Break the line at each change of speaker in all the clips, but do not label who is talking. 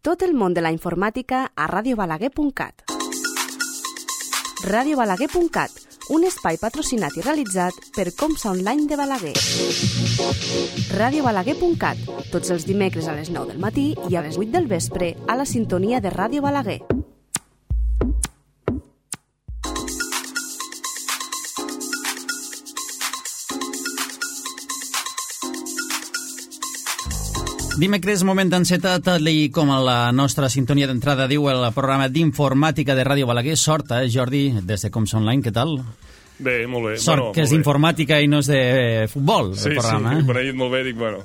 Tot el món de la informàtica a radiobalaguer.cat. Radiobalaguer.cat, un espai patrocinat i realitzat per Comsa Online de Balaguer. Radiobalaguer.cat, tots els dimecres a les 9 del matí i a les 8 del vespre a la sintonia de Ràdio Balaguer.
Dimecres, moment encetat, tal com a la nostra sintonia d'entrada diu el programa d'informàtica de Ràdio Balaguer. Sort, Jordi, des de Comsa Online, què tal?
Bé, molt bé.
Sort, que és d'informàtica i no és de futbol, el programa.
Sí, quan he dit molt bé, dic, bueno,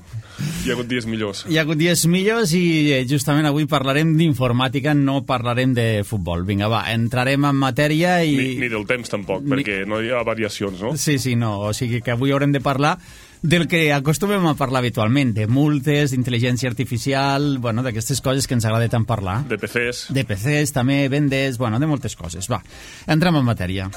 hi ha hagut dies millors.
Hi ha hagut dies millors i justament avui parlarem d'informàtica, no parlarem de futbol. Vinga, va, entrarem en matèria i...
Ni del temps tampoc, perquè no hi ha variacions, no?
Sí, no, o sigui que avui haurem de parlar del que acostumem a parlar habitualment, de multes, d'intel·ligència artificial, bueno, d'aquestes coses que ens agrada tant parlar.
De PCs.
De PCs, també, vendes, bueno, de moltes coses. Va, entrem en matèria.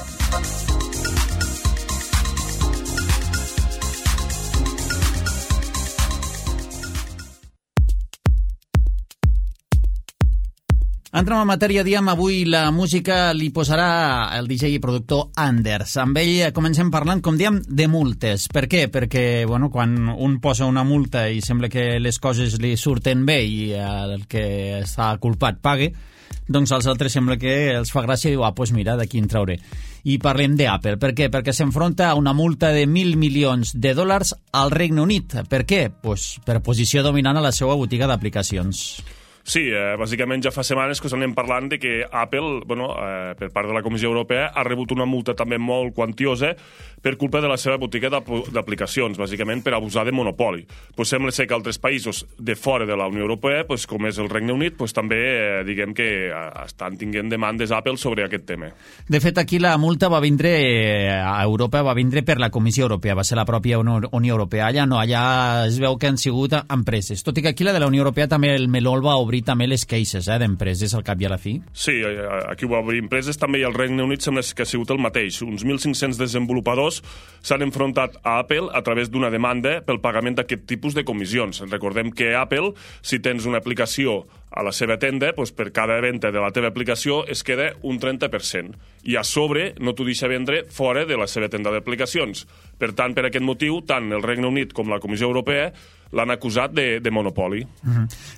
Entrem en matèria, diem, avui la música li posarà el DJ i productor Anders. Amb ell comencem parlant, com diem, de multes. Per què? Perquè, bueno, quan un posa una multa i sembla que les coses li surten bé i el que està culpat pague, doncs als altres sembla que els fa gràcia i diu, doncs mira, d'aquí en trauré. I parlem d'Apple. Per què? Perquè s'enfronta a una multa de $1.000 milions al Regne Unit. Per què? Pues per posició dominant a la seva botiga d'aplicacions.
Sí, bàsicament ja fa setmanes que s'anem parlant de que Apple, per part de la Comissió Europea, ha rebut una multa també molt quantiosa per culpa de la seva botiga d'aplicacions, bàsicament per abusar de monopoli. Pues sembla ser que altres països de fora de la Unió Europea, pues, com és el Regne Unit, pues, també diguem que estan tinguent demandes Apple sobre aquest tema.
De fet, aquí la multa va vindre a Europa, va vindre per la Comissió Europea, va ser la pròpia Unió Europea. Allà no, allà es veu que han sigut empreses. Tot i que aquí la de la Unió Europea també el meló el va obrir també les queixes d'empreses al cap i a la fi.
Sí, aquí ho va obrir empreses, també i al Regne Unit sembla que ha sigut el mateix. Uns 1.500 desenvolupadors s'han enfrontat a Apple a través d'una demanda pel pagament d'aquest tipus de comissions. Recordem que Apple, si tens una aplicació a la seva tenda, doncs per cada venda de la teva aplicació es queda un 30%. I a sobre no t'ho deixa vendre fora de la seva tenda d'aplicacions. Per tant, per aquest motiu, tant el Regne Unit com la Comissió Europea l'han acusat de monopoli.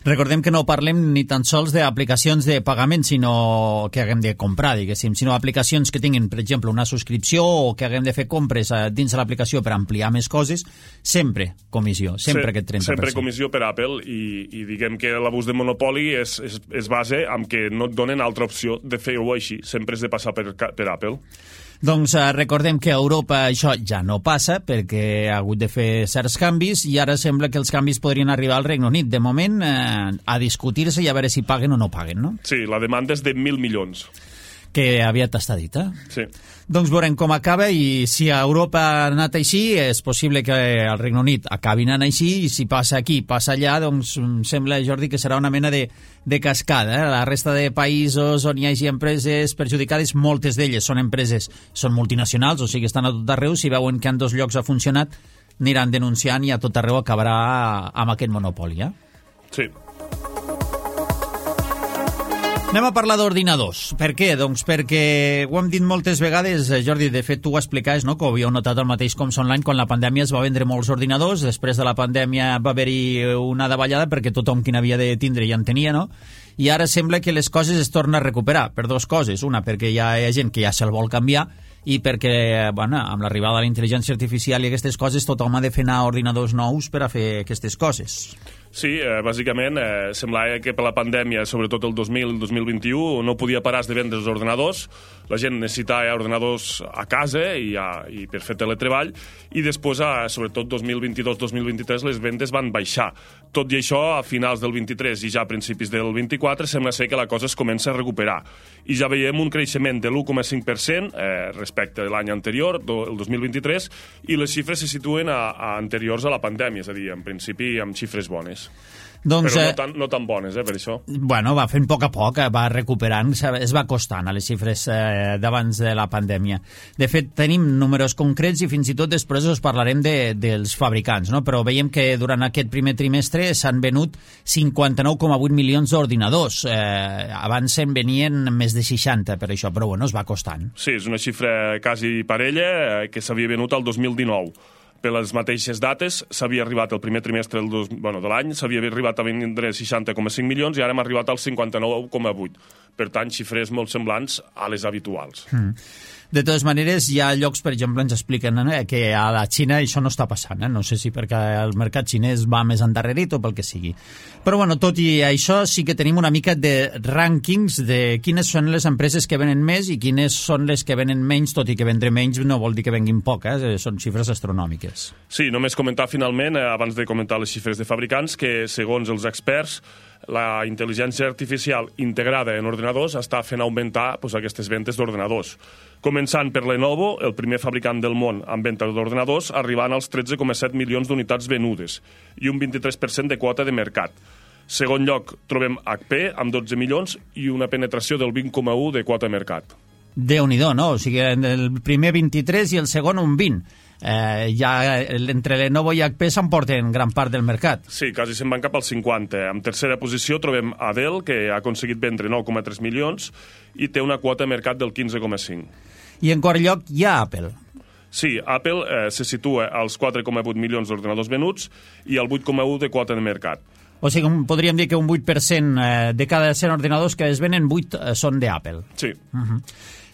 Recordem que no parlem ni tan sols d'aplicacions de pagament, sinó que haguem de comprar, diguéssim, sinó aplicacions que tinguin, per exemple, una subscripció o que haguem de fer compres dins de l'aplicació per ampliar més coses, sempre comissió, sempre aquest 30%.
Sempre comissió per Apple i diguem que l'abús de monopoli es basa en que no et donen altra opció de fer-ho així, sempre has de passar per Apple.
Doncs recordem que a Europa això ja no passa perquè ha hagut de fer certs canvis i ara sembla que els canvis podrien arribar al Regne Unit. De moment, a discutir-se i a veure si paguen o no paguen, no?
Sí, la demanda és de 1.000 milions.
Que aviat està dit,
Sí.
Doncs veurem com acaba i si a Europa ha anat així, és possible que al Regne Unit acabi anant així i si passa aquí, passa allà, doncs sembla, Jordi, que serà una mena de cascada. La resta de països on hi hagi empreses perjudicades, moltes d'elles són empreses, són multinacionals, o sigui, estan a tot arreu, si veuen que en dos llocs ha funcionat, aniran denunciant i a tot arreu acabarà amb aquest monopoli,
Sí.
Anem a parlar d'ordinadors. Per què? Doncs perquè ho hem dit moltes vegades, Jordi, de fet tu ho explicaves, no?, que ho havíeu notat el mateix Comsa Online quan la pandèmia es va vendre molts ordinadors, després de la pandèmia va haver-hi una davallada perquè tothom qui n'havia de tindre ja en tenia, no? I ara sembla que les coses es tornen a recuperar per dues coses. Una, perquè hi ha gent que ja se'l vol canviar i perquè, bueno, amb l'arribada de la intel·ligència artificial i aquestes coses tothom ha de fer anar ordinadors nous per a fer aquestes coses.
Sí, bàsicament semblava que per la pandèmia, sobretot el 2021, no podia parar de vendre els ordenadors, la gent necessitava ordenadors a casa i per fer teletreball, i després, sobretot 2022-2023, les vendes van baixar. Tot i això, a finals del 23 i ja a principis del 24, sembla ser que la cosa es comença a recuperar. I ja veiem un creixement de l'1,5% respecte a l'any anterior, el 2023, i les xifres se situen a anteriors a la pandèmia, és a dir, en principi amb xifres bones.
Doncs,
però no tan bones, per això.
Bueno, va fent a poc, va recuperant, es va acostant a les xifres d'abans de la pandèmia. De fet, tenim números concrets i fins i tot després us parlarem dels fabricants, no? Però veiem que durant aquest primer trimestre s'han venut 59,8 milions d'ordinadors. Abans se'n venien més de 60 per això, però bueno, es va acostant.
Sí, és una xifra quasi parella que s'havia venut al 2019. Per les mateixes dates, s'havia arribat el primer trimestre de l'any, s'havia arribat a vendre 60,5 milions i ara hem arribat als 59,8. Per tant, xifres molt semblants a les habituals.
De totes maneres, hi ha llocs, per exemple, ens expliquen que a la Xina això no està passant. No sé si perquè el mercat xinès va més endarrerit o pel que sigui. Però, bueno, tot i això, sí que tenim una mica de rànquings de quines són les empreses que venen més i quines són les que venen menys, tot i que vendre menys no vol dir que venguin poc, són xifres astronòmiques.
Sí, només comentar finalment, abans de comentar les xifres de fabricants, que segons els experts, la intel·ligència artificial integrada en ordinadors està fent augmentar aquestes ventes d'ordinadors. Començant per Lenovo, el primer fabricant del món amb venda d'ordinadors, arribant als 13,7 milions d'unitats venudes i un 23% de quota de mercat. Segon lloc, trobem HP amb 12 milions i una penetració del 20,1 de quota de mercat.
Déu-n'hi-do, no? O sigui, el primer 23 i el segon un 20. Ja entre Lenovo i HP s'emporten gran part del mercat.
Sí, quasi se'n van cap al 50. En tercera posició trobem Dell, que ha aconseguit vendre 9,3 milions i té una quota de mercat del 15,5.
I en quart lloc hi ha Apple.
Sí, Apple se situa als 4,8 milions d'ordinadors venuts i al 8,1 de quota de mercat.
O sigui, podríem dir que un 8% de cada 100 ordinadors que es venen, 8 són d'Apple.
Sí.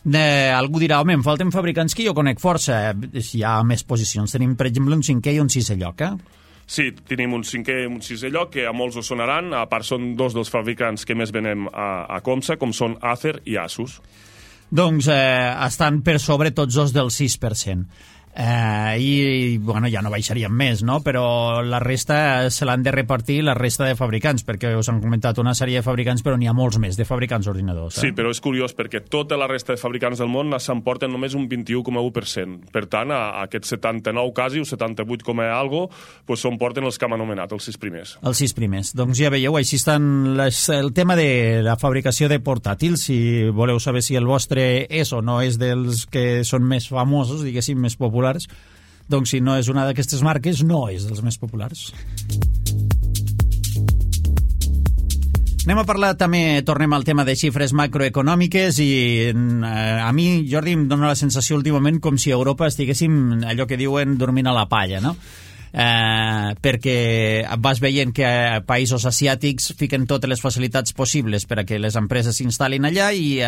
Algú dirà, home, em falten fabricants que jo conec força. Hi ha més posicions. Tenim, per exemple, un 5è i un 6è lloc,
Sí, tenim un 5è i un 6è lloc, que a molts us sonaran. A part, són dos dels fabricants que més venem a Comsa, com són Acer i Asus.
Doncs estan per sobre tots dos del 6%. I bueno, ja no baixaríem més, no? Però la resta se l'han de repartir la resta de fabricants, perquè us han comentat una sèrie de fabricants, però n'hi ha molts més de fabricants ordinadors.
Sí, però és curiós perquè tota la resta de fabricants del món s'emporten només un 21,1%. Per tant, a aquests 79 quasi, o 78 com a algo, doncs s'emporten els que hem anomenat, els 6 primers.
Els 6 primers. Doncs ja veieu, així estan el tema de la fabricació de portàtils. Si voleu saber si el vostre és o no és dels que són més famosos, diguéssim, més populars, doncs si no és una d'aquestes marques, no és dels més populars. Anem a parlar també, tornem al tema de xifres macroeconòmiques i a mi, Jordi, em dóna la sensació últimament com si a Europa estiguéssim allò que diuen dormint a la palla, no? Perquè vas veient que països asiàtics fiquen totes les facilitats possibles per a que les empreses s'instal·lin allà i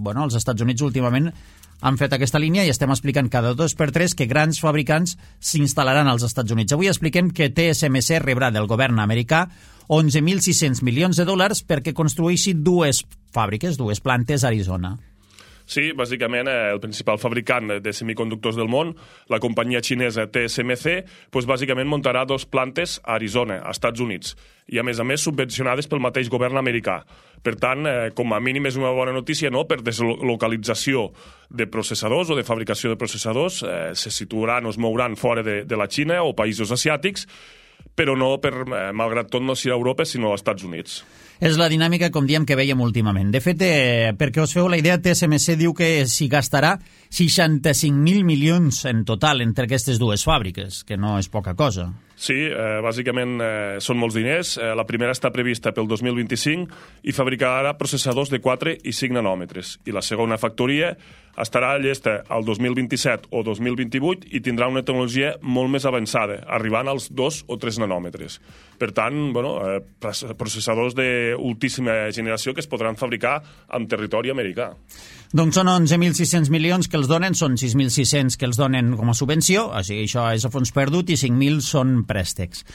bueno, els Estats Units últimament han fet aquesta línia i estem explicant cada 2x3 que grans fabricants s'instal·laran als Estats Units. Avui expliquem que TSMC rebrà del govern americà 11.600 milions de dòlars perquè construeixi dues fàbriques, dues plantes a Arizona.
Sí, bàsicament el principal fabricant de semiconductors del món, la companyia xinesa TSMC, doncs bàsicament muntarà 2 plantes a Arizona, als Estats Units, i a més subvencionades pel mateix govern americà. Per tant, com a mínim és una bona notícia, no?, per deslocalització de processadors o de fabricació de processadors, se situaran o es mouran fora de la Xina o països asiàtics, però no, malgrat tot, no serà Europa, sinó als Estats Units.
És la dinàmica, com diem, que veiem últimament. De fet, perquè us feu la idea, TSMC diu que s'hi gastarà 65.000 milions en total entre aquestes dues fàbriques, que no és poca cosa.
Sí, bàsicament són molts diners. La primera està prevista pel 2025 i fabricarà processadors de 4 i 5 nanòmetres. I la segona factoria estarà llesta al 2027 o 2028 i tindrà una tecnologia molt més avançada, arribant als 2 o 3 nanòmetres. Per tant, processadors d'ultíssima generació que es podran fabricar en territori americà.
Doncs són 11.600 milions que els donen, són 6.600 que els donen com a subvenció, o sigui, això és a fons perdut, i 5.000 són préstecs.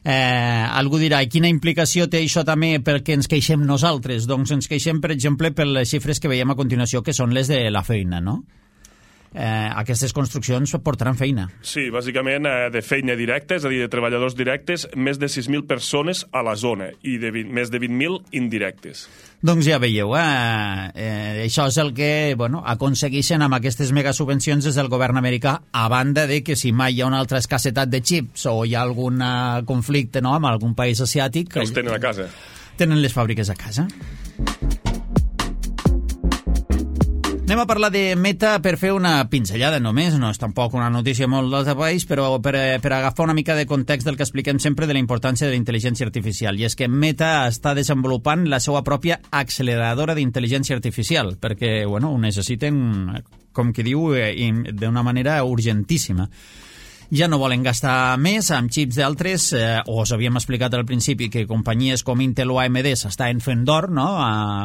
Algú dirà, i quina implicació té això també perquè ens queixem nosaltres? Doncs ens queixem, per exemple, per les xifres que veiem a continuació, que són les de la feina, no? aquestes construccions portaran feina.
Sí, bàsicament de feina directa, és a dir, de treballadors directes, més de 6.000 persones a la zona i més de 20.000 indirectes.
Doncs ja veieu, això és el que aconsegueixen amb aquestes megasubvencions des del govern americà, a banda de que si mai hi ha una altra escassetat de xips o hi ha algun conflicte amb algun país asiàtic...
Els tenen a casa.
Tenen les fàbriques a casa. Anem a parlar de Meta per fer una pinzellada només, no és tampoc una notícia molt d'altre país, però per agafar una mica de context del que expliquem sempre de la importància de la intel·ligència artificial. I és que Meta està desenvolupant la seva pròpia acceleradora d'intel·ligència artificial, perquè ho necessiten, com qui diu, d'una manera urgentíssima. Ja no volen gastar més amb xips d'altres, us havíem explicat al principi que companyies com Intel o AMD s'estaven fent d'or,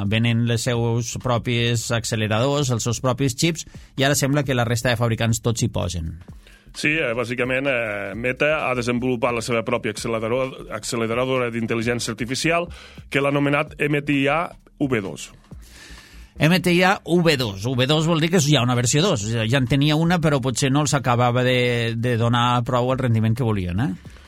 venent les seus propis acceleradors, els seus propis xips, i ara sembla que la resta de fabricants tots s'hi posen.
Sí, bàsicament Meta ha desenvolupat la seva pròpia acceleradora d'intel·ligència artificial que l'ha anomenat MTIA V2.
MTIA V2. V2 vol dir que hi ha una versió 2. Ja en tenia una, però potser no els acabava de donar prou el rendiment que volien,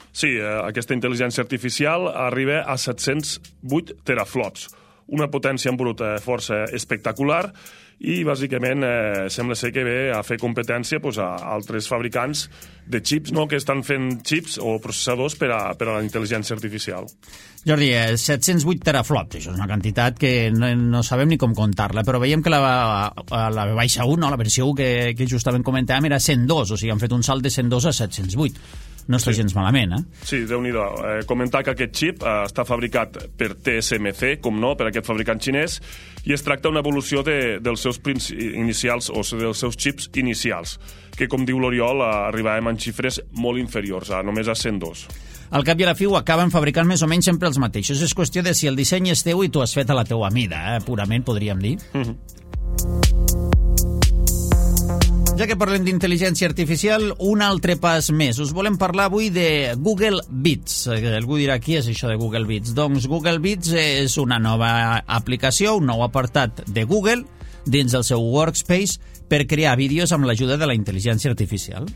Sí, aquesta intel·ligència artificial arriba a 708 teraflops, una potència en bruta força espectacular, i bàsicament sembla ser que ve a fer competència a altres fabricants de xips que estan fent xips o processadors per a la intel·ligència artificial.
Jordi, 708 teraflops, això és una quantitat que no sabem ni com comptar-la, però veiem que la baixa 1, la versió 1 que justament comentàvem, era 102, o sigui, han fet un salt de 102 a 708. No està gens malament,
Sí, Déu-n'hi-do. Comentar que aquest xip està fabricat per TSMC, com no, per aquest fabricant xinès, i es tracta d'una evolució dels seus inicials o dels seus xips inicials, que, com diu l'Oriol, arribàvem en xifres molt inferiors, només a 102.
Al cap i a la fi ho acaben fabricant més o menys sempre els mateixos. És qüestió de si el disseny és teu i tu has fet a la teua mida, purament, podríem dir. Ja que parlem d'intel·ligència artificial, un altre pas més. Us volem parlar avui de Google Beats. Algú dirà, qui és això de Google Beats? Doncs Google Beats és una nova aplicació, un nou apartat de Google dins del seu Workspace per crear vídeos amb l'ajuda de la intel·ligència artificial.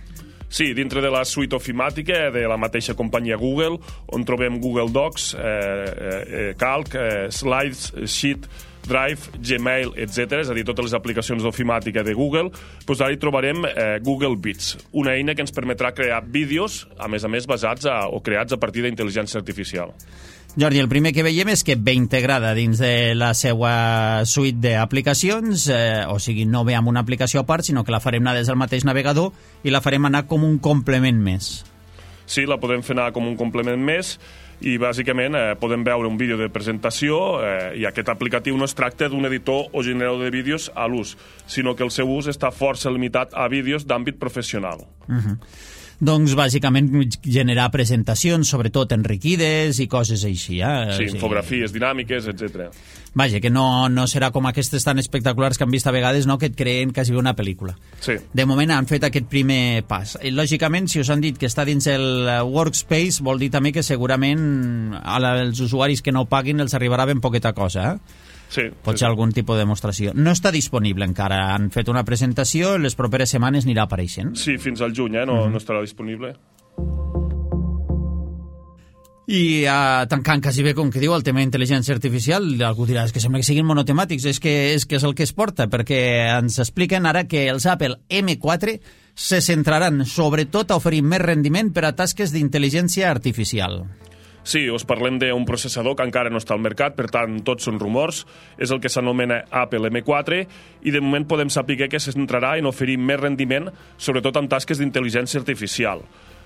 Sí, dintre de la suite ofimàtica de la mateixa companyia Google, on trobem Google Docs, Calc, Slides, Sheet, Drive, Gmail, etc., és a dir, totes les aplicacions d'ofimàtica de Google, doncs ara hi trobarem Google Beats, una eina que ens permetrà crear vídeos, a més basats o creats a partir d'intel·ligència artificial.
Jordi, el primer que veiem és que ve integrada dins de la seva suite d'aplicacions, o sigui, no ve amb una aplicació a part, sinó que la farem anar des del mateix navegador i la farem anar com un complement més.
Sí, la podem fer anar com un complement més, i bàsicament podem veure un vídeo de presentació i aquest aplicatiu no es tracta d'un editor o generador de vídeos a l'ús, sinó que el seu ús està força limitat a vídeos d'àmbit professional.
Doncs bàsicament generar presentacions, sobretot enriquides i coses així.
Sí, infografies dinàmiques, etc.
Vaja, que no serà com aquestes tan espectaculars que han vist a vegades, que et creen quasi una pel·lícula.
Sí.
De moment han fet aquest primer pas. I, lògicament, si us han dit que està dins el Workspace, vol dir també que segurament als usuaris que no paguin els arribarà ben poqueta cosa,
Sí,
pot ser algun tipus de demostració. No està disponible encara. Han fet una presentació, les properes setmanes anirà apareixent.
Sí, fins al juny, no estarà disponible.
I tancant quasi bé, com que diu, el tema d'intel·ligència artificial, algú dirà que sembla que siguin monotemàtics, és que és el que es porta, perquè ens expliquen ara que els Apple M4 se centraran sobretot a oferir més rendiment per a tasques d'intel·ligència artificial.
Sí, us parlem d'un processador que encara no està al mercat, per tant, tots són rumors. És el que s'anomena Apple M4 i de moment podem saber que se centrarà en oferir més rendiment, sobretot en tasques d'intel·ligència artificial.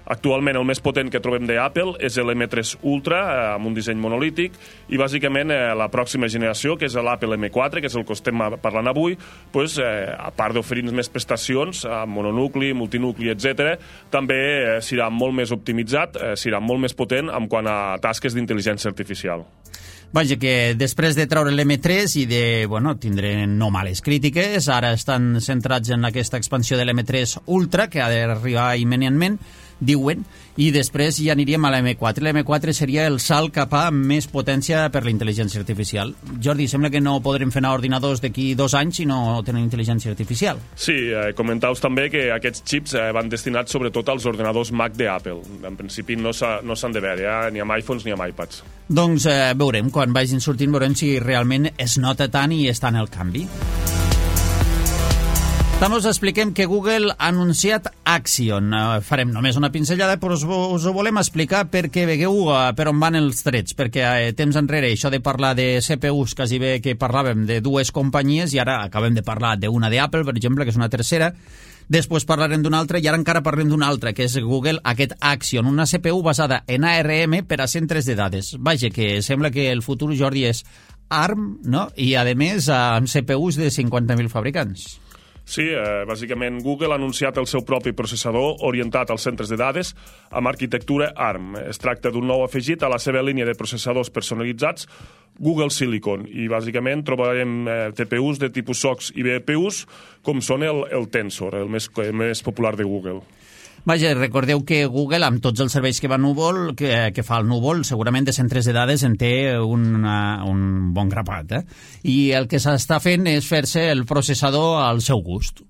Actualment el més potent que trobem d'Apple és l'M3 Ultra, amb un disseny monolític, i bàsicament la pròxima generació, que és l'Apple M4, que és el que estem parlant avui, doncs, a part d'oferir més prestacions, mononucli, multinucli, etc., també serà molt més optimitzat, serà molt més potent en quant a tasques d'intel·ligència artificial.
Vaja, que després de treure l'M3 i de, tindre no males crítiques, ara estan centrats en aquesta expansió de l'M3 Ultra, que ha d'arribar immediatament, diuen, i després ja aniríem a l'M4. L'M4 seria el salt cap a més potència per la intel·ligència artificial. Jordi, sembla que no podrem fer anar ordinadors d'aquí 2 anys si no tenen intel·ligència artificial.
Sí, comentau també que aquests xips van destinats sobretot als ordinadors Mac d'Apple. En principi no s'han de veure, ni amb iPhones ni amb iPads.
Doncs veurem, quan vagin sortint, veurem si realment es nota tant i està en el canvi. També us expliquem que Google ha anunciat Axion. Farem només una pinzellada, però us ho volem explicar perquè vegueu per on van els trets, perquè temps enrere això de parlar de CPUs, quasi bé que parlàvem de 2 companyies, i ara acabem de parlar d'una d'Apple, per exemple, que és una tercera, després parlarem d'una altra, i ara encara parlem d'una altra, que és Google, aquest Axion, una CPU basada en ARM per a centres de dades. Vaja, que sembla que el futur, Jordi, és ARM, no? I, a més, amb CPUs de 50.000 fabricants.
Sí, bàsicament Google ha anunciat el seu propi processador orientat als centres de dades amb arquitectura ARM. Es tracta d'un nou afegit a la seva línia de processadors personalitzats Google Silicon, i bàsicament trobarem TPUs de tipus SOCs i BPUs, com són el Tensor, el més popular de Google.
Vaja, recordeu que Google, amb tots els serveis que fa el núvol, segurament de centres de dades en té un bon grapat. I el que s'està fent és fer-se el processador al seu gust.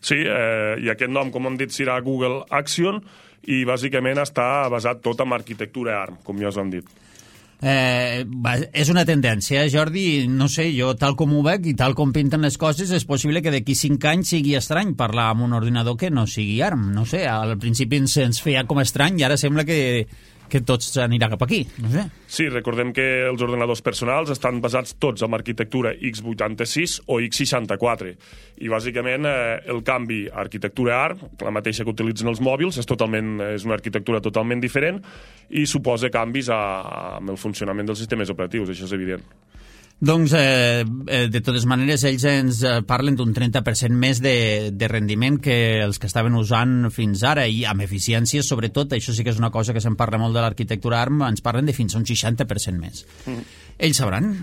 Sí, i aquest nom, com hem dit, serà Google Axion, i bàsicament està basat tot en arquitectura ARM, com ja us hem dit.
És una tendència, Jordi, no sé, jo tal com ho veig i tal com pinten les coses, és possible que d'aquí 5 anys sigui estrany parlar amb un ordinador que no sigui ARM, no sé, al principi ens feia com estrany i ara sembla que tots anirà cap aquí, no sé.
Sí, recordem que els ordenadors personals estan basats tots en arquitectura x86 o x64, i bàsicament el canvi a arquitectura ARM, la mateixa que utilitzen els mòbils, és una arquitectura totalment diferent i suposa canvis amb el funcionament dels sistemes operatius, això és evident.
Doncs, de totes maneres, ells ens parlen d'un 30% més de rendiment que els que estaven usant fins ara, i amb eficiències, sobretot, això sí que és una cosa que se'n parla molt de l'arquitectura ARM, ens parlen de fins a un 60% més. Ells sabran.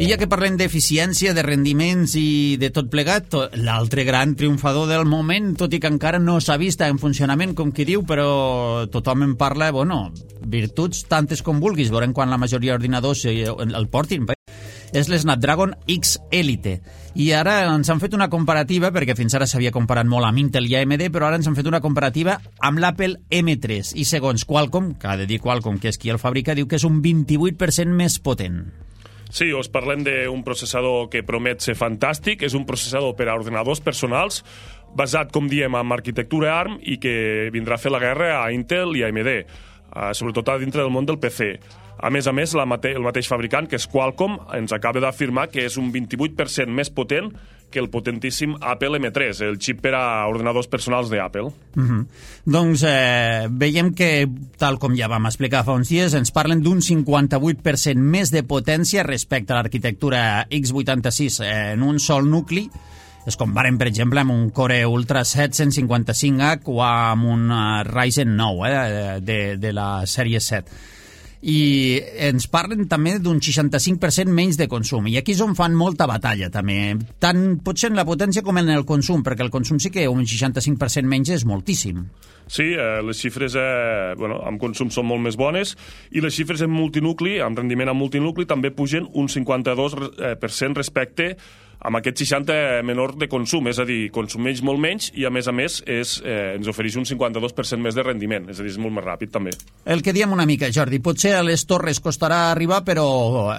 I ja que parlem d'eficiència, de rendiments i de tot plegat, l'altre gran triomfador del moment, tot i que encara no s'ha vist en funcionament, com qui diu, però tothom en parla, virtuts tantes com vulguis, veurem quan la majoria d'ordinadors el portin, és l'Snapdragon X Elite. I ara ens han fet una comparativa, perquè fins ara s'havia comparat molt amb Intel i AMD, però ara ens han fet una comparativa amb l'Apple M3, i segons Qualcomm, que ha de dir Qualcomm, que és qui el fabrica, diu que és un 28% més potent.
Sí, us parlem d'un processador que promet ser fantàstic. És un processador per a ordenadors personals, basat, com diem, en arquitectura ARM, i que vindrà a fer la guerra a Intel i a AMD, sobretot a dintre del món del PC. A més, el mateix fabricant, que és Qualcomm, ens acaba d'afirmar que és un 28% més potent que el potentíssim Apple M3, el xip per a ordenadors personals d'Apple.
Doncs veiem que, tal com ja vam explicar fa uns dies, ens parlen d'un 58% més de potència respecte a l'arquitectura x86 en un sol nucli. Es comparen, per exemple, amb un Core Ultra 7 155H o amb un Ryzen 9 de la sèrie 7. I ens parlen també d'un 65% menys de consum, i aquí és on fan molta batalla també, tant potser en la potència com en el consum, perquè el consum sí que un 65% menys és moltíssim.
Sí, les xifres amb consum són molt més bones, i les xifres en multinucli, amb rendiment en multinucli, també pugen un 52% respecte amb aquest 60 menor de consum, és a dir, consumeix molt menys i, a més, ens ofereix un 52% més de rendiment, és a dir, és molt més ràpid, també.
El que diem una mica, Jordi, potser a les torres costarà arribar, però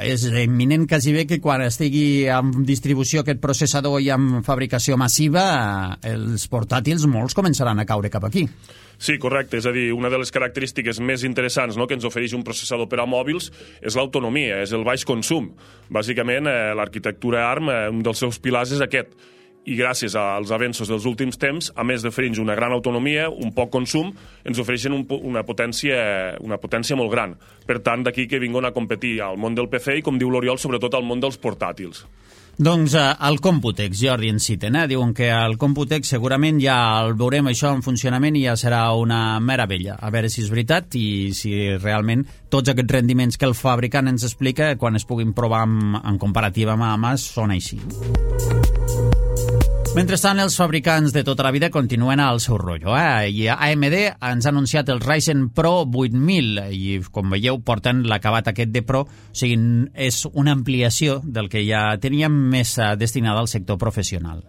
és imminent quasi bé que quan estigui en distribució aquest processador i en fabricació massiva, els portàtils molts començaran a caure cap aquí.
Sí, correcte. És a dir, una de les característiques més interessants que ens ofereix un processador per a mòbils és l'autonomia, és el baix consum. Bàsicament, l'arquitectura ARM, un dels seus pilars és aquest. I gràcies als avenços dels últims temps, a més d'oferir una gran autonomia, un poc consum, ens ofereixen una potència molt gran. Per tant, d'aquí que vinguin a competir al món del PC i, com diu l'Oriol, sobretot al món dels portàtils.
Doncs el Computex, Jordi, ens citen, diuen que el Computex segurament ja el veurem això en funcionament i ja serà una meravella. A veure si és veritat i si realment tots aquests rendiments que el fabricant ens explica, quan es puguin provar en comparativa mà a mà, són així. Mentrestant, els fabricants de tota la vida continuen al seu rotllo. I AMD ens ha anunciat el Ryzen Pro 8000 i, com veieu, porten l'acabat aquest de Pro, o sigui, és una ampliació del que ja teníem més destinada al sector professional.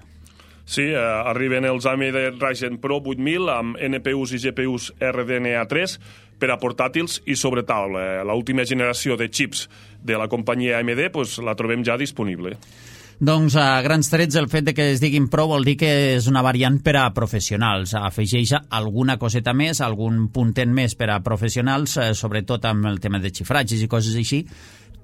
Sí, arriben els AMD Ryzen Pro 8000 amb NPUs i GPUs RDNA3 per a portàtils i sobre taula. L'última generació de xips de la companyia AMD la trobem ja disponible.
Doncs a grans trets el fet de que es diguin Pro vol dir que és una variant per a professionals. Afegeix alguna coseta més, algun puntet més per a professionals, sobretot amb el tema de xifratges i coses així,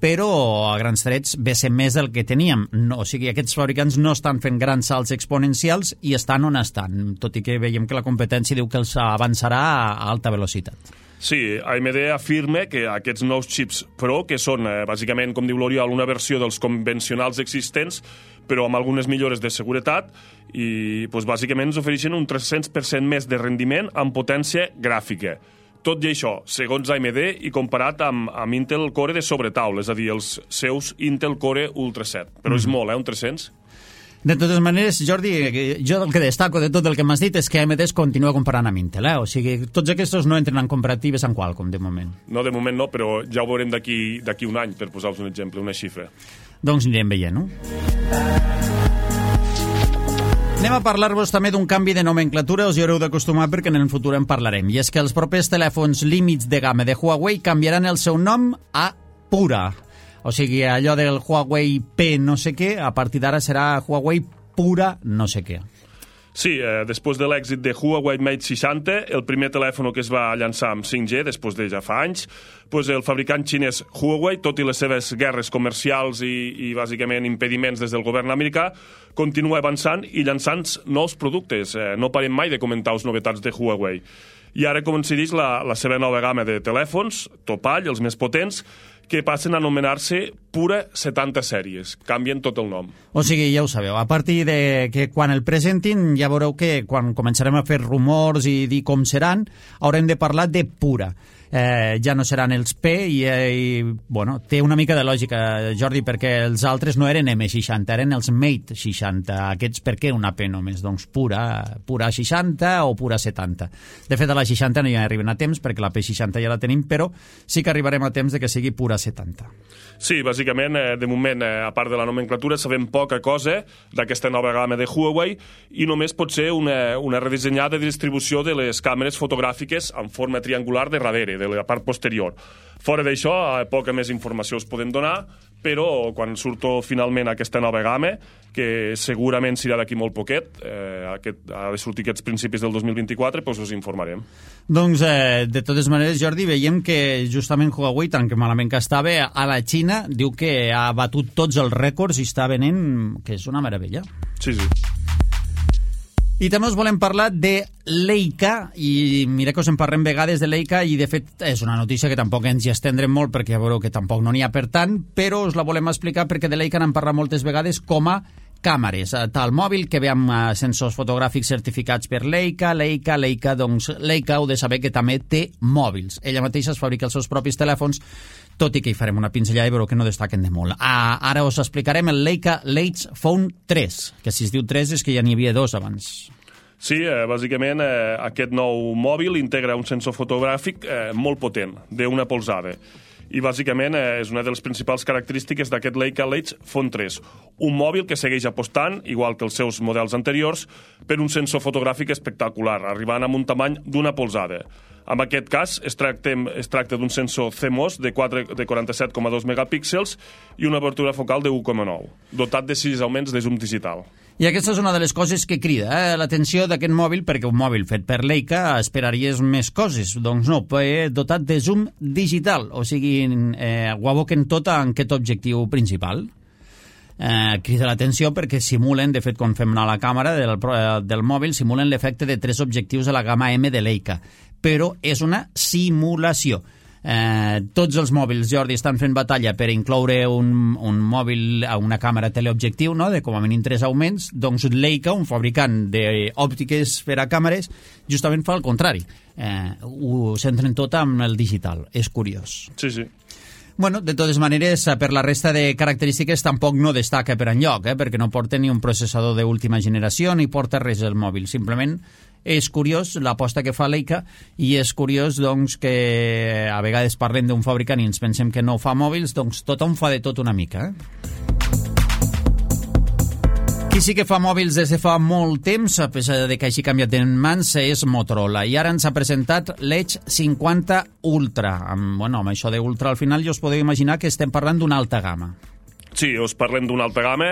però a grans trets ve ser més del que teníem. O sigui, aquests fabricants no estan fent grans salts exponencials i estan on estan, tot i que veiem que la competència diu que els avançarà a alta velocitat.
Sí, AMD afirma que aquests nous xips Pro, que són bàsicament, com diu l'Oriol, una versió dels convencionals existents, però amb algunes millores de seguretat, i bàsicament ens ofereixen un 300% més de rendiment amb potència gràfica. Tot i això, segons AMD i comparat amb Intel Core de sobretaula, és a dir, els seus Intel Core Ultra 7. Però és molt, un 300?
De totes maneres, Jordi, jo el que destaco de tot el que m'has dit és que AMD es continua comparant amb Intel, O sigui, tots aquests no entren en comparatives amb Qualcomm, de moment.
No, de moment no, però ja ho veurem d'aquí un any, per posar-vos un exemple, una xifra.
Doncs anirem veient, no? Anem a parlar-vos també d'un canvi de nomenclatura, us hi haureu d'acostumar perquè en el futur en parlarem, i és que els propers telèfons límits de gamma de Huawei canviaran el seu nom a Pura. O sigui, allò del Huawei P no sé què, a partir d'ara serà Huawei Pura no sé què.
Sí, després de l'èxit de Huawei Mate 60, el primer telèfon que es va llançar amb 5G, després de ja fa anys, el fabricant xinès Huawei, tot i les seves guerres comercials i bàsicament impediments des del govern americà, continua avançant i llançant nous productes. No parem mai de comentar les novetats de Huawei. I ara coincideix la seva nova gamma de telèfons, topall, els més potents, que passen a anomenar-se Pura 70 sèries. Canvien tot el nom.
O sigui, ja ho sabeu, a partir de que quan el presentin ja veureu que quan començarem a fer rumors i dir com seran, haurem de parlar de Pura. Ja no seran els P i bueno, té una mica de lògica, Jordi, perquè els altres no eren M60, eren els Mate 60. Aquests per què una P només? Doncs Pura 60 o Pura 70. De fet, a la 60 no hi arriben a temps perquè la P60 ja la tenim, però sí que arribarem a temps de que sigui Pura 70.
Sí, bàsicament, de moment, a part de la nomenclatura, sabem poca cosa d'aquesta nova gamma de Huawei i només pot ser una redissenyada distribució de les càmeres fotogràfiques en forma triangular de darrere, de la part posterior. Fora d'això, poca més informació us podem donar, però quan surto finalment aquesta nova gamma, que segurament serà d'aquí molt poquet, ha de sortir aquests principis del 2024, doncs us informarem.
Doncs, de totes maneres, Jordi, veiem que justament Huawei, tant que malament que estava, a la Xina diu que ha batut tots els rècords i està venent, que és una meravella.
Sí.
I també us volem parlar de Leica, i mira que us en parlem vegades de Leica, i de fet és una notícia que tampoc ens hi estendrem molt perquè ja veureu que tampoc no n'hi ha per tant, però us la volem explicar perquè de Leica n'han parlat moltes vegades com a càmeres. Tal mòbil que ve amb sensors fotogràfics certificats per Leica, doncs Leica heu de saber que també té mòbils. Ella mateixa es fabrica els seus propis telèfons, tot i que hi farem una pinzellada i veureu que no destaquen de molt. Ara us explicarem el Leica Leitz Phone 3, que si es diu 3 és que ja n'hi havia 2 abans.
Sí, bàsicament aquest nou mòbil integra un sensor fotogràfic molt potent, d'una polzada. I bàsicament és una de les principals característiques d'aquest Leica Leitz Phone 3. Un mòbil que segueix apostant, igual que els seus models anteriors, per un sensor fotogràfic espectacular, arribant amb un tamany d'una polzada. En aquest cas, es tracta d'un sensor CMOS de 47,2 megapíxels i una obertura focal de 1,9, dotat de 6 augments de zoom digital.
I aquesta és una de les coses que crida l'atenció d'aquest mòbil, perquè un mòbil fet per Leica esperaries més coses. Doncs no, dotat de zoom digital, o sigui, ho aboquen tot en aquest objectiu principal. Crida l'atenció perquè simulen, de fet, quan fem anar la càmera del mòbil, simulen l'efecte de 3 objectius de la gamma M de Leica, però és una simulació. Tots els mòbils, Jordi, estan fent batalla per incloure un mòbil a una càmera teleobjectiu, no?, de com a mínim 3 augments. Doncs Leica, un fabricant d'òptiques per a càmeres, justament fa el contrari. Ho centren tot amb el digital. És curiós.
Sí.
Bueno, de totes maneres, per la resta de característiques tampoc no destaca per enlloc, perquè no porta ni un processador d'última generació ni porta res al mòbil. Simplement és curiós l'aposta que fa Leica i és curiós doncs, que a vegades parlem d'un fabricant i ens pensem que no fa mòbils, doncs tothom fa de tot una mica. Qui sí que fa mòbils des de fa molt temps, a pesar de que hagi canviat en mans, és Motorola. I ara ens ha presentat l'Edge 50 Ultra. Amb això d'Ultra al final ja us podeu imaginar que estem parlant d'una alta gamma.
Sí, us parlem d'una alta gamma,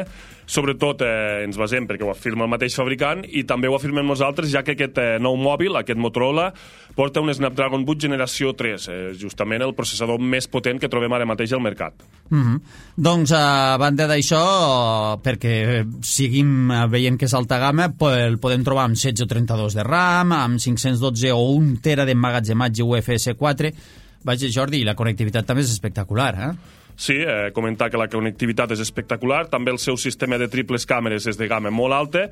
sobretot ens basem perquè ho afirma el mateix fabricant i també ho afirmem nosaltres, ja que aquest nou mòbil, aquest Motorola, porta un Snapdragon 8 generació 3, justament el processador més potent que trobem ara mateix al mercat.
Doncs, a banda d'això, perquè seguim veient que és alta gamma, el podem trobar amb 16 o 32 de RAM, amb 512 o 1 tera d'emmagatzematge UFS 4. Vaja, Jordi, la connectivitat també és espectacular,
Sí, comentar que la connectivitat és espectacular, també el seu sistema de triples càmeres és de gamma molt alta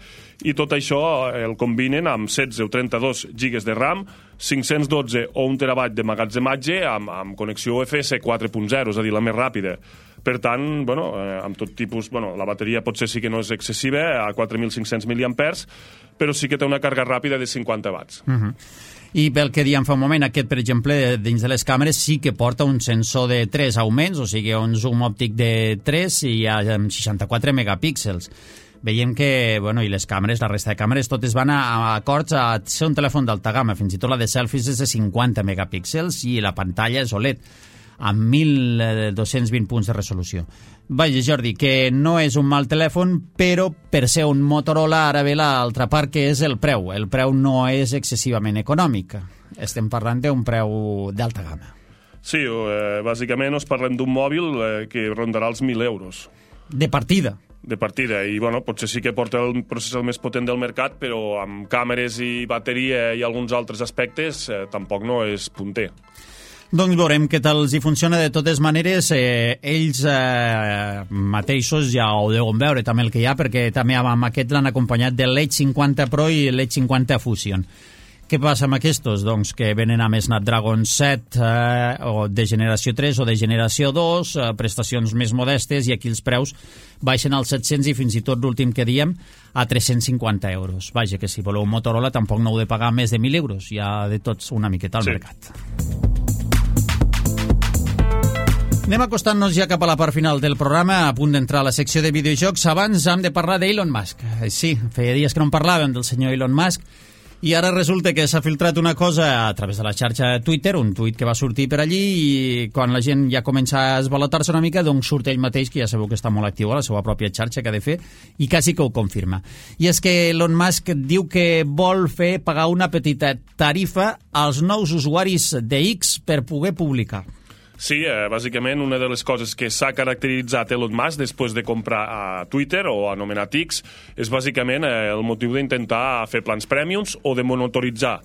i tot això el combinen amb 16 o 32 GB de RAM, 512 o 1 terabyte de magatzematge amb connexió UFS 4.0, és a dir, la més ràpida. Per tant, amb tot tipus... la bateria potser sí que no és excessiva, a 4.500 mAh, però sí que té una càrrega ràpida de 50 watts.
I pel que dèiem fa un moment, aquest, per exemple, dins de les càmeres sí que porta un sensor de 3 augments, o sigui, un zoom òptic de 3 i amb 64 megapíxels. Veiem que, i les càmeres, la resta de càmeres, totes van a acords a ser un telèfon d'alta gamma, fins i tot la de selfies és de 50 megapíxels i la pantalla és OLED, amb 1.220 punts de resolució. Vaja, Jordi, que no és un mal telèfon, però per ser un Motorola ara ve l'altra part, que és el preu. El preu no és excessivament econòmic. Estem parlant d'un preu d'alta gamma.
Sí, bàsicament us parlem d'un mòbil que rondarà els 1.000 euros.
De partida.
De partida, i potser sí que porta el processador més potent del mercat, però amb càmeres i bateria i alguns altres aspectes tampoc no és punter.
Doncs veurem què tal els hi funciona. De totes maneres, ells mateixos ja ho deuen veure també el que hi ha, perquè també amb aquest l'han acompanyat de l'Edge 50 Pro i l'Edge 50 Fusion. Què passa amb aquests? Doncs que venen amb Snapdragon 7 o de generació 3 o de generació 2, prestacions més modestes, i aquí els preus baixen als 700 i fins i tot l'últim que diem a 350 euros. Vaja, que si voleu un Motorola tampoc no heu de pagar més de 1.000 euros. Hi ha de tots una miqueta al mercat. Anem acostant-nos ja cap a la part final del programa, a punt d'entrar a la secció de videojocs. Abans hem de parlar d'Elon Musk. Sí, feia dies que no en parlàvem del senyor Elon Musk, i ara resulta que s'ha filtrat una cosa a través de la xarxa Twitter, un tuit que va sortir per allí, i quan la gent ja comença a esvalotar-se una mica, doncs surt ell mateix, que ja sabeu que està molt actiu a la seva pròpia xarxa que ha de fer, i quasi que ho confirma. I és que Elon Musk diu que vol fer pagar una petita tarifa als nous usuaris de X per poder publicar.
Sí, bàsicament una de les coses que s'ha caracteritzat Elon Musk després de comprar a Twitter o anomenat X és bàsicament el motiu d'intentar fer plans prèmiums o de monetitzar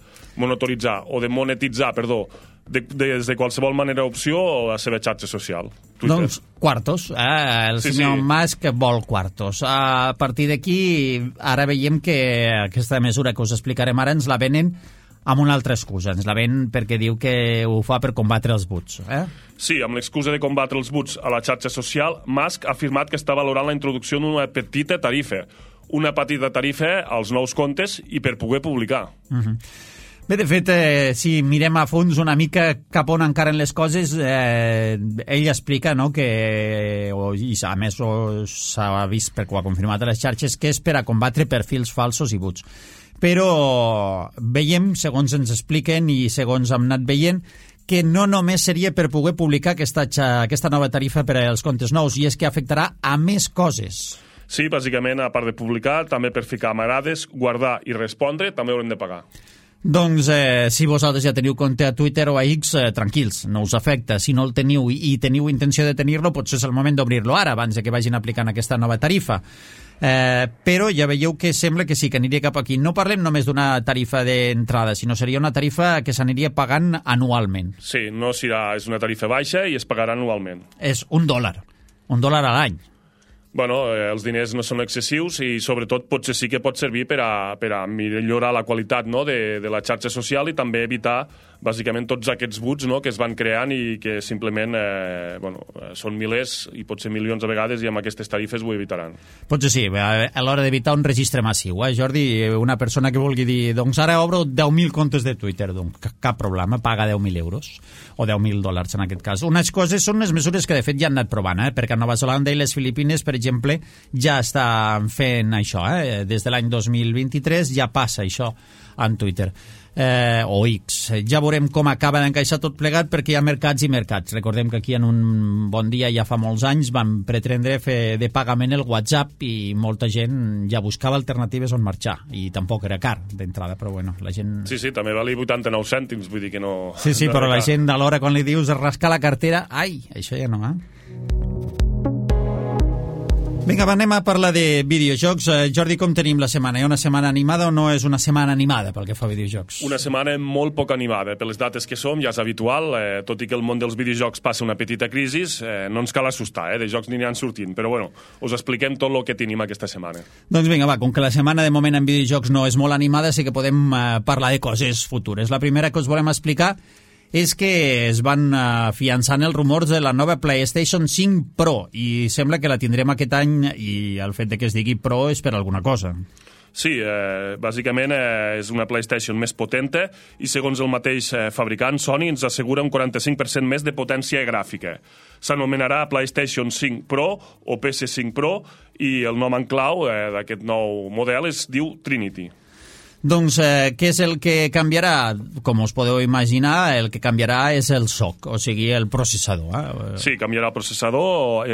des de qualsevol manera opció la seva xarxa social. Twitter.
Doncs quartos, el senyor Musk vol quartos. A partir d'aquí, ara veiem que aquesta mesura que us explicarem ara ens la venen amb una altra excusa. Ens la ven perquè diu que ho fa per combatre els bots.
Sí, amb l'excusa de combatre els bots a la xarxa social, Musk ha afirmat que està valorant la introducció d'una petita tarifa. Una petita tarifa als nous comptes i per poder publicar.
Bé, de fet, si mirem a fons una mica cap on encaren les coses, ell explica que, i a més s'ha vist perquè ho ha confirmat a les xarxes, que és per a combatre perfils falsos i bots. Però veiem, segons ens expliquen i segons hem anat veient, que no només seria per poder publicar aquesta nova tarifa per als comptes nous, i és que afectarà a més coses.
Sí, bàsicament, a part de publicar, també per ficar m'agrades, guardar i respondre, també haurem de pagar.
Doncs si vosaltres ja teniu compte a Twitter o a X, tranquils, no us afecta. Si no el teniu i teniu intenció de tenir-lo, potser és el moment d'obrir-lo ara, abans que vagin aplicant aquesta nova tarifa. Però ja veieu que sembla que sí, que aniria cap aquí. No parlem només d'una tarifa d'entrada, sinó seria una tarifa que s'aniria pagant anualment.
Sí, no serà, és una tarifa baixa i es pagarà anualment.
És $1 a l'any.
Bueno, els diners no són excessius i sobretot potser sí que pot servir per a millorar la qualitat de la xarxa social i també evitar bàsicament tots aquests buts, no?, que es van creant i que simplement són milers i potser milions a vegades, i amb aquestes tarifes ho evitaran.
Potser sí, a l'hora d'evitar un registre massiu. Jordi, una persona que vulgui dir doncs ara obro 10.000 comptes de Twitter, doncs cap problema, paga 10.000 euros o 10.000 dòlars en aquest cas. Unes coses són les mesures que de fet ja han anat provant, perquè a Nova Zelanda i les Filipines, per exemple, ja estan fent això. Des de l'any 2023 ja passa això en Twitter. O X. Ja veurem com acaba d'encaixar tot plegat, perquè hi ha mercats i mercats. Recordem que aquí en un bon dia ja fa molts anys van pretendre fer de pagament el WhatsApp i molta gent ja buscava alternatives on marxar, i tampoc era car d'entrada, però bueno, la gent...
Sí, també valia 89 cèntims, vull dir que no...
Sí, no, però la gent a l'hora quan li dius rascar la cartera, ai, això ja no, Vinga, anem a parlar de videojocs. Jordi, com tenim la setmana? Hi ha una setmana animada o no és una setmana animada pel que fa a videojocs?
Una setmana molt poc animada. Per les dates que som, ja és habitual, tot i que el món dels videojocs passa una petita crisi, no ens cal assustar, de jocs n'hi han sortint. Però bueno, us expliquem tot el que tenim aquesta setmana.
Doncs vinga, com que la setmana de moment en videojocs no és molt animada, sí que podem parlar de coses futures. La primera que us volem explicar és que es van afiançant els rumors de la nova PlayStation 5 Pro i sembla que la tindrem aquest any, i el fet de que es digui Pro és per alguna cosa.
Sí, bàsicament és una PlayStation més potenta i segons el mateix fabricant, Sony ens assegura un 45% més de potència gràfica. S'anomenarà PlayStation 5 Pro o PS5 Pro i el nom en clau d'aquest nou model es diu Trinity.
Doncs què és el que canviarà? Com us podeu imaginar, el que canviarà és el SoC, o sigui, el processador.
Sí, canviarà el processador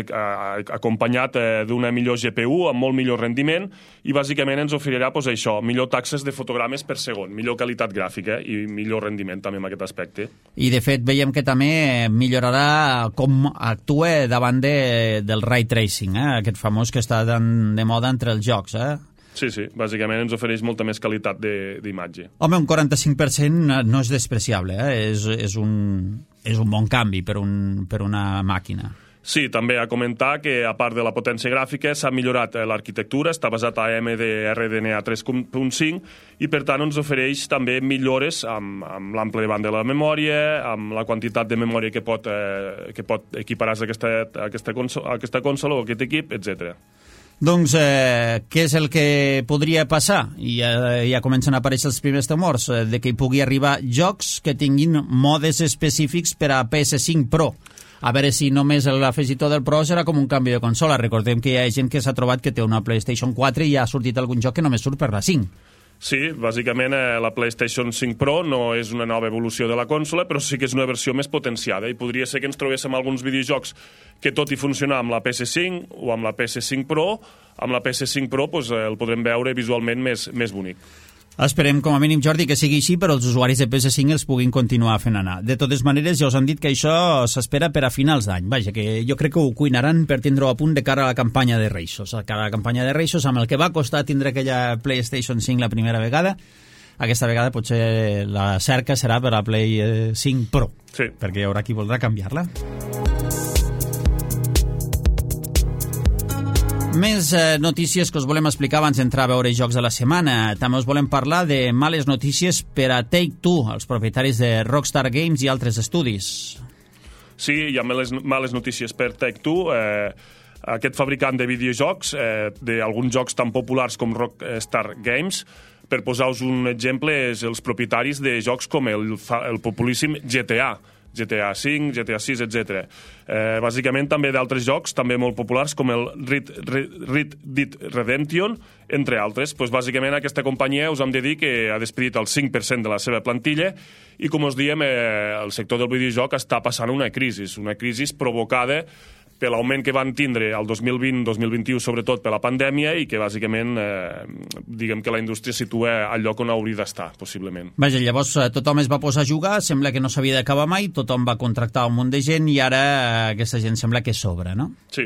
acompanyat d'una millor GPU amb molt millor rendiment i bàsicament ens oferirà això, millor taxes de fotogrames per segon, millor qualitat gràfica i millor rendiment també en aquest aspecte.
I de fet veiem que també millorarà com actua davant del ray tracing, aquest famós que està de moda entre els jocs,
Sí, bàsicament ens ofereix molta més qualitat d'imatge.
Home, un 45% no és despreciable, és un bon canvi per una màquina.
Sí, també a comentar que, a part de la potència gràfica, s'ha millorat l'arquitectura, està basat a AMD RDNA 3.5 i, per tant, ens ofereix també millores amb l'ample de banda de la memòria, amb la quantitat de memòria que pot equiparar a aquesta consola o aquest equip, etc.
Doncs què és el que podria passar? I ja comencen a aparèixer els primers temors de que hi pugui arribar jocs que tinguin modes específics per a PS5 Pro. A veure si només l'afegitó del Pro serà com un canvi de consola. Recordem que hi ha gent que s'ha trobat que té una PlayStation 4 i ha sortit algun joc que només surt per la 5.
Sí, bàsicament la PlayStation 5 Pro no és una nova evolució de la consola, però sí que és una versió més potenciada i podria ser que ens trobéssim alguns videojocs que, tot i funcionar amb la PS5 o amb la PS5 Pro, amb la PS5 Pro el podrem veure visualment més bonic.
Esperem, com a mínim, Jordi, que sigui així, però els usuaris de PS5 els puguin continuar fent anar. De totes maneres, ja us han dit que això s'espera per a finals d'any. Vaja, que jo crec que ho cuinaran per tindre-ho a punt de cara a la campanya de Reixos. A cara a la campanya de Reixos, amb el que va costar tindre aquella PlayStation 5 la primera vegada, aquesta vegada potser la cerca serà per a Play 5 Pro,
sí,
perquè hi haurà qui voldrà canviar-la. Més notícies que us volem explicar abans d'entrar a veure jocs de la setmana. També us volem parlar de males notícies per a Take-Two, els propietaris de Rockstar Games i altres estudis.
Sí, hi ha males notícies per Take-Two. Aquest fabricant de videojocs, d'alguns jocs tan populars com Rockstar Games, per posar-vos un exemple, és els propietaris de jocs com el populíssim GTA 5, GTA 6, etc. Bàsicament també d'altres jocs, també molt populars, com el Red Dead Redemption, entre altres. Bàsicament aquesta companyia us hem de dir que ha despedit el 5% de la seva plantilla i, com us diem, el sector del videojoc està passant una crisi provocada per l'augment que van tindre el 2020-2021, sobretot per la pandèmia, i que bàsicament diguem que la indústria situa al lloc on hauria d'estar, possiblement.
Vaja, llavors tothom es va posar a jugar, sembla que no s'havia d'acabar mai, tothom va contractar un munt de gent i ara aquesta gent sembla que sobra, no?
Sí.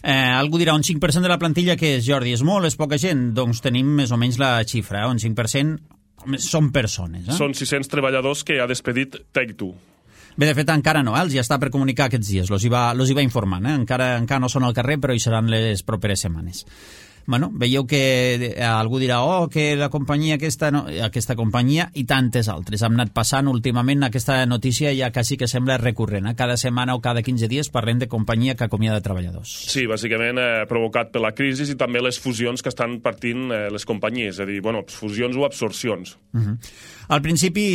Algú dirà, un 5% de la plantilla que és, Jordi? És molt, és poca gent? Doncs tenim més o menys la xifra, un 5% són persones.
Són 600 treballadors que ha despedit Take-Two.
Bé, de fet, encara no, els ja està per comunicar aquests dies, los hi va informant, encara no són al carrer, però hi seran les properes setmanes. bueno, veieu que algú dirà que la companyia aquesta, no, aquesta companyia i tantes altres. Hem anat passant últimament aquesta notícia ja quasi que sembla recurrent. Cada setmana o cada 15 dies parlem de companyia que acomiada treballadors.
Sí, bàsicament provocat per la crisi i també les fusions que estan partint les companyies, és a dir, bueno, fusions o absorcions.
Al principi,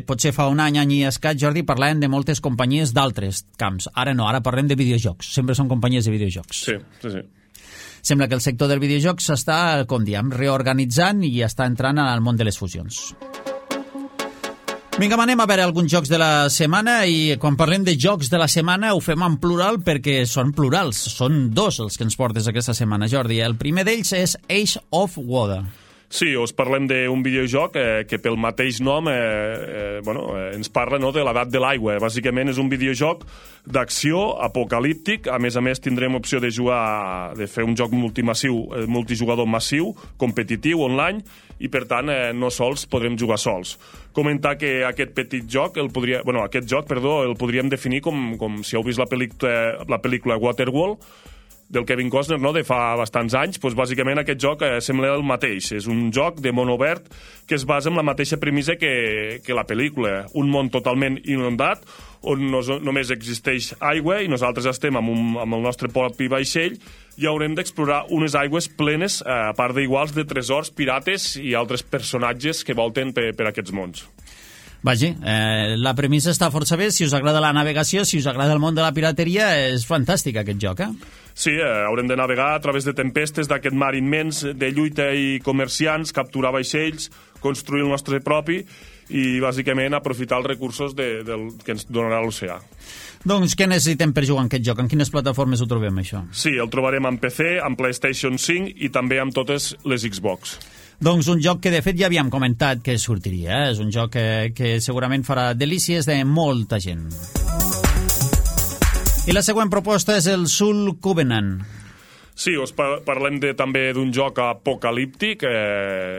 potser fa un any i escaig, Jordi, parlàvem de moltes companyies d'altres camps. Ara no, ara parlem de videojocs. Sempre són companyies de videojocs.
Sí, sí, sí.
Sembla que el sector del videojoc s'està, com diem, reorganitzant i està entrant al món de les fusions. Vinga, anem a veure alguns jocs de la setmana i quan parlem de jocs de la setmana ho fem en plural perquè són plurals. Són dos els que ens portes aquesta setmana, Jordi. El primer d'ells és Age of Water.
Sí, us parlem d'un videojoc que pel mateix nom ens parla de l'edat de l'aigua. Bàsicament és un videojoc d'acció apocalíptic. A més, tindrem opció de jugar, de fer un joc multijugador massiu, competitiu, online, i per tant no sols podrem jugar sols. Comentar que aquest joc el podríem definir com si heu vist la pel·lícula Waterworld, del Kevin Costner, no?, de fa bastants anys. Doncs bàsicament aquest joc sembla el mateix. És un joc de món obert que es basa en la mateixa premissa que la pel·lícula. Un món totalment inundat, on només existeix aigua i nosaltres estem amb el nostre propi vaixell i haurem d'explorar unes aigües plenes, a part d'iguals, de tresors, pirates i altres personatges que volten per aquests mons.
Vagi, la premissa està força bé. Si us agrada la navegació, si us agrada el món de la pirateria, és fantàstic aquest joc,
Sí, haurem de navegar a través de tempestes d'aquest mar immens, de lluita i comerciants, capturar vaixells, construir el nostre propi i, bàsicament, aprofitar els recursos que ens donarà l'oceà.
Doncs què necessitem per jugar en aquest joc? En quines plataformes ho trobem, això?
Sí, el trobarem en PC, en PlayStation 5 i també amb totes les Xbox.
Doncs un joc que, de fet, ja havíem comentat que sortiria. És un joc que segurament farà delícies de molta gent. I la següent proposta és el Soul Covenant.
Sí, us parlem també d'un joc apocalíptic,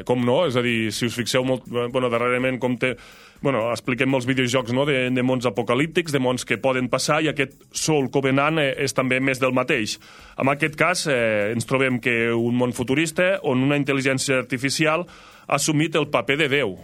com no? És a dir, si us fixeu molt, darrerament expliquem molts videojocs, no?, de mons apocalíptics, de mons que poden passar, i aquest Soul Covenant és també més del mateix. En aquest cas, ens trobem que un món futurista on una intel·ligència artificial ha assumit el paper de Déu.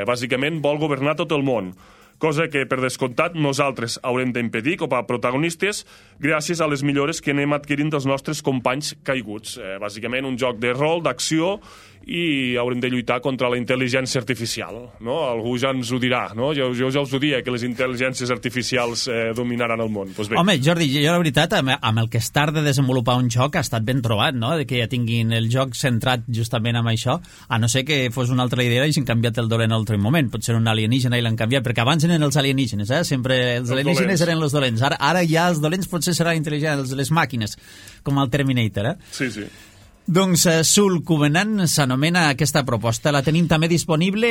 Bàsicament vol governar tot el món, cosa que, per descomptat, nosaltres haurem d'impedir com a protagonistes gràcies a les millores que anem adquirint dels nostres companys caiguts. Bàsicament, un joc de rol, d'acció, i haurem de lluitar contra la intel·ligència artificial, no? Algú ja ens ho dirà, no? Jo ja us ho dia, que les intel·ligències artificials dominaran el món. Pues bé.
Home, Jordi, jo la veritat, amb el que es tarda de desenvolupar un joc ha estat ben trobat, no?, de que ja tinguin el joc centrat justament amb això, a no ser que fos una altra idea i s'han canviat el dolent a l'altre moment. Potser un alienígena i l'han canviat, perquè abans eren els alienígenes, sempre els alienígenes eren els dolents. Ara ja els dolents potser seran intel·ligents, les màquines, com el Terminator,
Sí, sí.
Doncs Soul Covenant s'anomena aquesta proposta. La tenim també disponible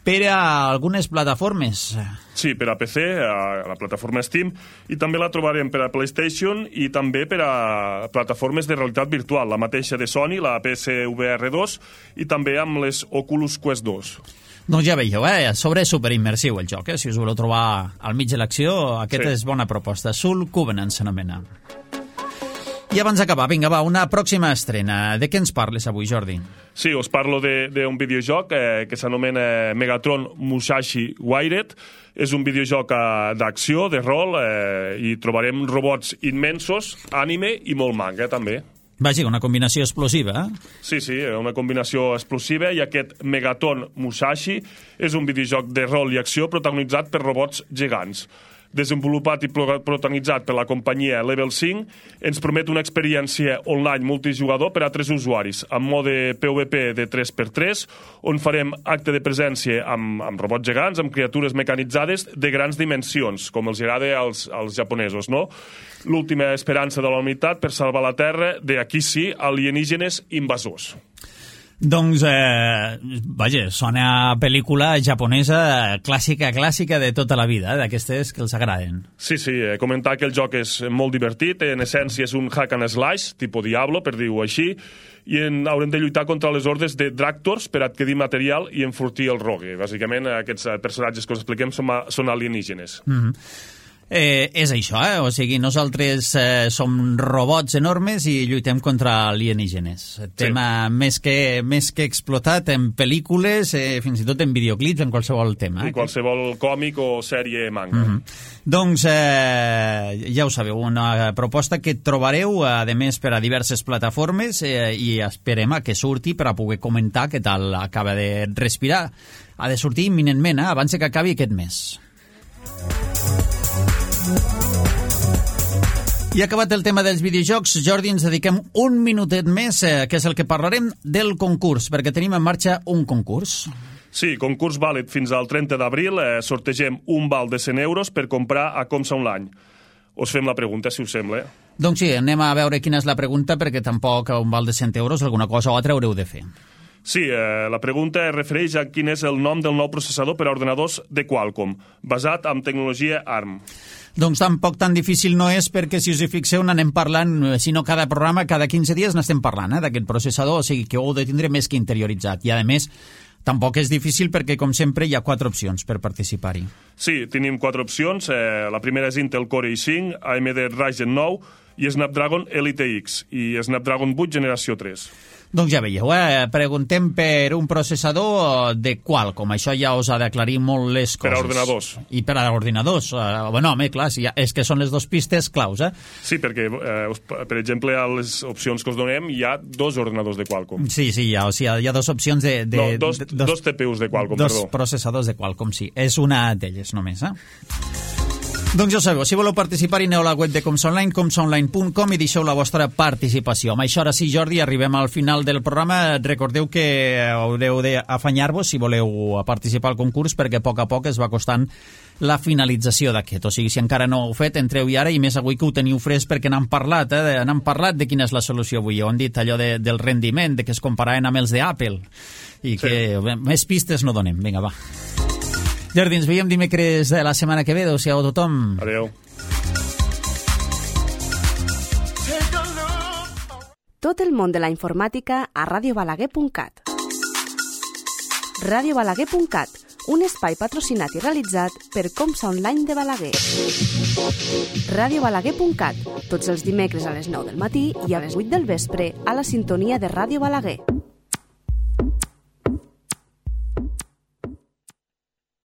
per a algunes plataformes.
Sí, per a PC, a la plataforma Steam, i també la trobarem per a PlayStation i també per a plataformes de realitat virtual, la mateixa de Sony, la PSVR 2, i també amb les Oculus Quest 2.
Doncs ja veieu, sobre superimmersiu el joc, si us voleu trobar al mig de l'acció, aquesta és bona proposta. Soul Covenant s'anomena. I abans d'acabar, vinga, una pròxima estrena. De què ens parles avui, Jordi?
Sí, us parlo d'un videojoc que s'anomena Megatron Musashi Wired. És un videojoc d'acció, de rol, i trobarem robots immensos, anime i molt manga, també.
Vaja, una combinació explosiva,
Sí, una combinació explosiva, i aquest Megatron Musashi és un videojoc de rol i acció protagonitzat per robots gegants. Desenvolupat i protagonitzat per la companyia Level 5, ens promet una experiència online multijugador per a 3 usuaris, amb mode PvP de 3x3, on farem acte de presència amb robots gegants, amb criatures mecanitzades de grans dimensions, com els agrada als japonesos, no? L'última esperança de la humanitat per salvar la Terra de, aquí sí, alienígenes invasors.
Doncs, vaja, sona a pel·lícula japonesa clàssica de tota la vida, d'aquestes que els agraden.
Sí, comentar que el joc és molt divertit, en essència és un hack and slash, tipus Diablo, per dir-ho així, i haurem de lluitar contra les hordes de Dractors per adquirir material i enfortir el rogue. Bàsicament, aquests personatges que us expliquem són alienígenes.
És això, o sigui, nosaltres som robots enormes i lluitem contra alienígenes. Tema més que explotat en pel·lícules, fins i tot en videoclips, en qualsevol tema.
I qualsevol còmic o sèrie manga.
Doncs ja ho sabeu, una proposta que trobareu, a més, per a diverses plataformes i esperem que surti per a poder comentar què tal acaba de respirar. Ha de sortir imminentment, abans que acabi aquest mes. I acabat el tema dels videojocs, Jordi, ens dediquem un minutet més, que és el que parlarem del concurs, perquè tenim en marxa un concurs.
Sí, concurs vàlid fins al 30 d'abril. Sortegem un val de 100 euros per comprar a Comsa Online. Us fem la pregunta, si us sembla.
Doncs sí, anem a veure quina és la pregunta, perquè tampoc a un val de 100 euros alguna cosa o altra haureu de fer.
Sí, la pregunta es refereix a quin és el nom del nou processador per a ordenadors de Qualcomm, basat en tecnologia ARM.
Doncs tampoc tan difícil no és, perquè si us hi fixeu n'anem parlant, si no cada programa, cada 15 dies n'estem parlant d'aquest processador, o sigui que ho heu de tindre més que interioritzat. I a més, tampoc és difícil perquè, com sempre, hi ha 4 opcions per participar-hi.
Sí, tenim 4 opcions. La primera és Intel Core i5, AMD Ryzen 9 i Snapdragon Elite X i Snapdragon 8 generació 3.
Doncs ja veieu, preguntem per un processador de Qualcomm. Això ja us ha d'aclarir molt les coses.
Per a ordenadors.
I per a ordinadors. Bueno, home, clar, és que són les 2 pistes claus,
Sí, perquè, per exemple, a les opcions que us donem hi ha 2 ordinadors de Qualcomm.
Sí, hi ha 2 opcions de...
No, dos TPUs de Qualcomm, perdó.
2 processadors de Qualcomm, sí. És una d'elles només, Doncs ja ho sabeu, si voleu participar-hi, aneu a la web de Comsa Online, comsaonline.com, i deixeu la vostra participació. Amb això, ara sí, Jordi, arribem al final del programa. Recordeu que haureu d'afanyar-vos si voleu participar al concurs, perquè a poc es va costant la finalització d'aquest. O sigui, si encara no ho heu fet, entreu-hi ara, i més avui que ho teniu fresc, perquè n'han parlat, n'han parlat de quina és la solució avui. Ho han dit allò del rendiment, de que es comparaven amb els d'Apple, i que més pistes no donem. Vinga, va. Jordi, ens veiem dimecres de la setmana que ve. Adéu-siau a tothom.
Adéu.
Tot el món de la informàtica a radiobalaguer.cat. Radiobalaguer.cat, un espai patrocinat i realitzat per Comsa Online de Balaguer. Radiobalaguer.cat, tots els dimecres a les 9 del matí i a les 8 del vespre a la sintonia de Ràdio Balaguer.